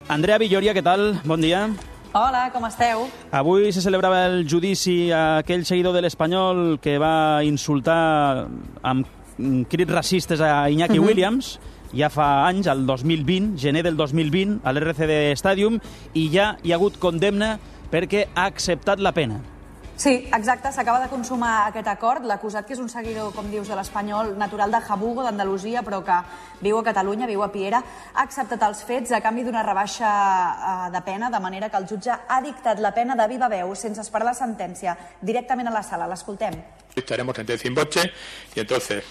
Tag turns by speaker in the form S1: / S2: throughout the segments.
S1: Andrea Villoria, què tal? Bon dia.
S2: Hola, com esteu?
S1: Avui se celebrava el judici a aquell seguidor de l'Espanyol que va insultar amb crits racistes a Iñaki Williams ja fa anys, el 2020, gener del 2020, a l'RCD Stadium, i ja hi ha hagut condemna perquè ha acceptat la pena.
S2: Sí, exacte, s'acaba de consumar aquest acord. L'acusat, que és un seguidor, com dius, de l'Espanyol, natural de Jabugo, d'Andalusia, però que viu a Catalunya, viu a Piera, ha acceptat els fets a canvi d'una rebaixa de pena, de manera que el jutge ha dictat la pena de viva veu, sense esperar la sentència, directament a la sala. L'escoltem.
S3: Dictaremos sentencia in voce y entonces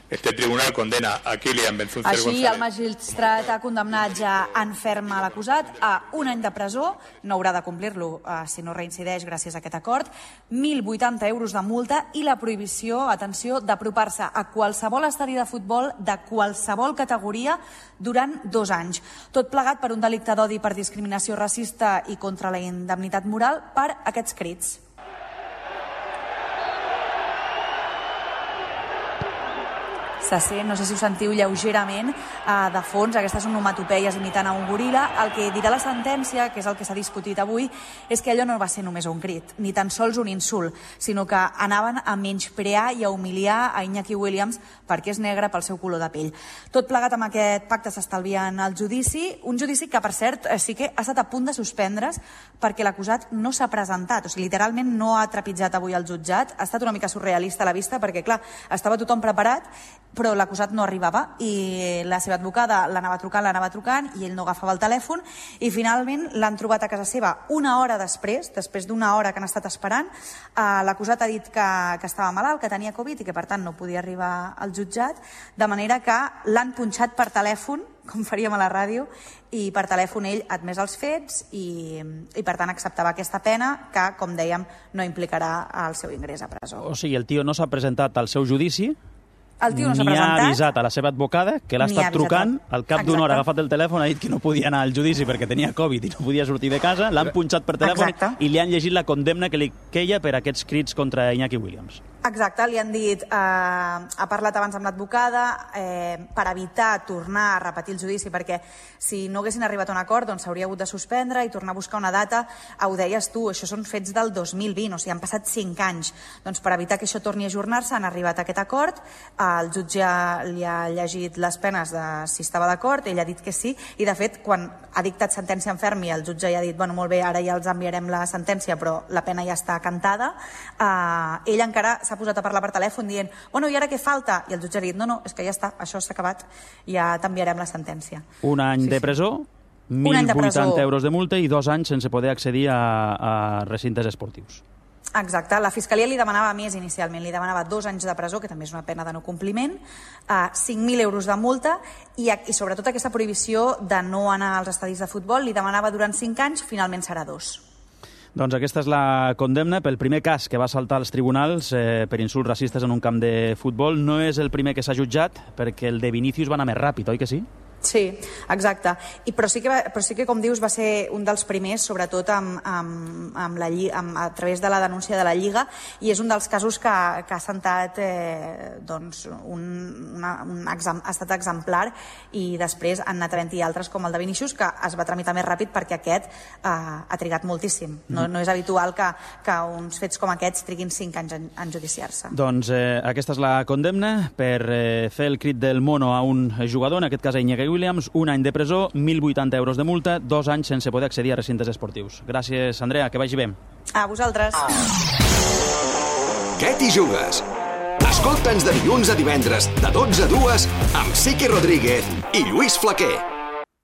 S3: este tribunal condena a Kylian Benzuncer González.
S2: Així, el magistrat ha condemnat ja en ferm a l'acusat a 1 any de presó, no haurà de complir-lo si no reincideix gràcies a aquest acord, 1.080 euros de multa i la prohibició, atenció, d'apropar-se a qualsevol estadi de futbol de qualsevol categoria durant 2 anys. Tot plegat per un delicte d'odi per discriminació racista i contra la indemnitat moral per aquests crits. Se sent, no sé si ho sentiu lleugerament, de fons, aquestes onomatopeies imitant a un goril·la. El que dirà la sentència, que és el que s'ha discutit avui, és que allò no va ser només un crit, ni tan sols un insult, sinó que anaven a menysprear i a humiliar a Iñaki Williams perquè és negre pel seu color de pell. Tot plegat amb aquest pacte s'estalvien el judici, un judici que, per cert, sí que ha estat a punt de suspendre's perquè l'acusat no s'ha presentat, o sigui, literalment no ha trepitjat avui el jutjat. Ha estat una mica surrealista a la vista perquè, clar, estava tothom preparat, però l'acusat no arribava i la seva advocada l'anava trucant i ell no agafava el telèfon i finalment l'han trobat a casa seva una hora després d'una hora que han estat esperant. L'acusat ha dit que estava malalt, que tenia Covid i que per tant no podia arribar al jutjat, de manera que l'han punxat per telèfon, com faríem a la ràdio, i per telèfon ell ha admès els fets i per tant acceptava aquesta pena que, com dèiem, no implicarà el seu ingrés a presó.
S1: O sigui, el tio no s'ha presentat al seu judici,
S2: el tio no s'ha
S1: ni
S2: presentat,
S1: ha avisat a la seva advocada, que l'ha estat trucant, al cap d'una hora ha agafat el telèfon, ha dit que no podia anar al judici perquè tenia Covid i no podia sortir de casa, l'han punxat per telèfon i li han llegit la condemna que li queia per aquests crits contra Iñaki Williams.
S2: Exacte, li han dit, ha parlat abans amb l'advocada per evitar tornar a repetir el judici, perquè si no haguessin arribat a un acord doncs s'hauria hagut de suspendre i tornar a buscar una data. Ho deies tu, això són fets del 2020, o sigui, han passat 5 anys. Doncs per evitar que això torni a ajornar-se han arribat a aquest acord, el jutge li ha llegit les penes de si estava d'acord, ell ha dit que sí, i de fet, quan ha dictat sentència en ferm i el jutge ja ha dit, bueno, molt bé, ara ja els enviarem la sentència, però la pena ja està cantada, ell encara s'ha posat a parlar per telèfon dient, bueno, i ara què falta? I el jutge ha dit, no, és que ja està, això s'ha acabat, ja t'enviarem la sentència.
S1: Un any de presó, 1.080 euros de multa i 2 anys sense poder accedir a recintes esportius.
S2: Exacte, la Fiscalia li demanava més inicialment, li demanava 2 anys de presó, que també és una pena de no compliment, 5.000 euros de multa i sobretot aquesta prohibició de no anar als estadis de futbol, li demanava durant 5 anys, finalment serà 2.
S1: Doncs aquesta és la condemna pel primer cas que va saltar als tribunals per insults racistes en un camp de futbol. No és el primer que s'ha jutjat, perquè el de Vinícius va anar més ràpid, oi que sí?
S2: Sí, exacte. Però sí que, com dius, va ser un dels primers, sobretot a través de la denúncia de la Lliga, i és un dels casos que ha sentat ha estat exemplar, i després han anat havent-hi altres com el de Vinícius, que es va tramitar més ràpid perquè aquest ha trigat moltíssim. No és habitual que uns fets com aquests triguin 5 anys en judiciar-se.
S1: Doncs aquesta és la condemna per fer el crit del mono a un jugador, en aquest cas a Iñaki Williams, 1 any de presó, 1.080 euros de multa, 2 anys sense poder accedir a recintes esportius. Gràcies, Andrea, que vagi bé.
S2: A vosaltres.
S4: Què t'hi jugues? Escolta'ns de dilluns a divendres, de 12 a 2, amb Siqui Rodríguez i Lluís Flaquer.